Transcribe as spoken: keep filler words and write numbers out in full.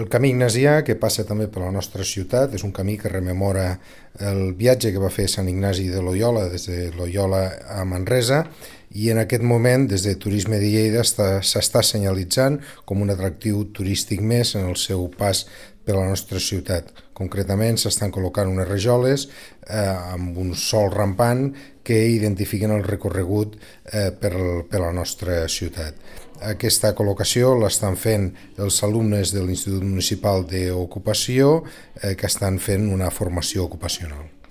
El camí ignasià, que passa també per la nostra ciutat, és un camí que rememora el viatge que va fer Sant Ignasi de Loyola des de Loyola a Manresa, i en aquest moment des de Turisme de Lleida s'està senyalitzant com un atractiu turístic més en el seu pas per la nostra ciutat. Concretament s'estan col·locant unes rajoles eh, amb un sol rampant que identifiquen el recorregut eh, per, per la nostra ciutat. Aquesta col·locació l'estan fent els alumnes de l'Institut Municipal d'Ocupació eh, que estan fent una formació ocupacional.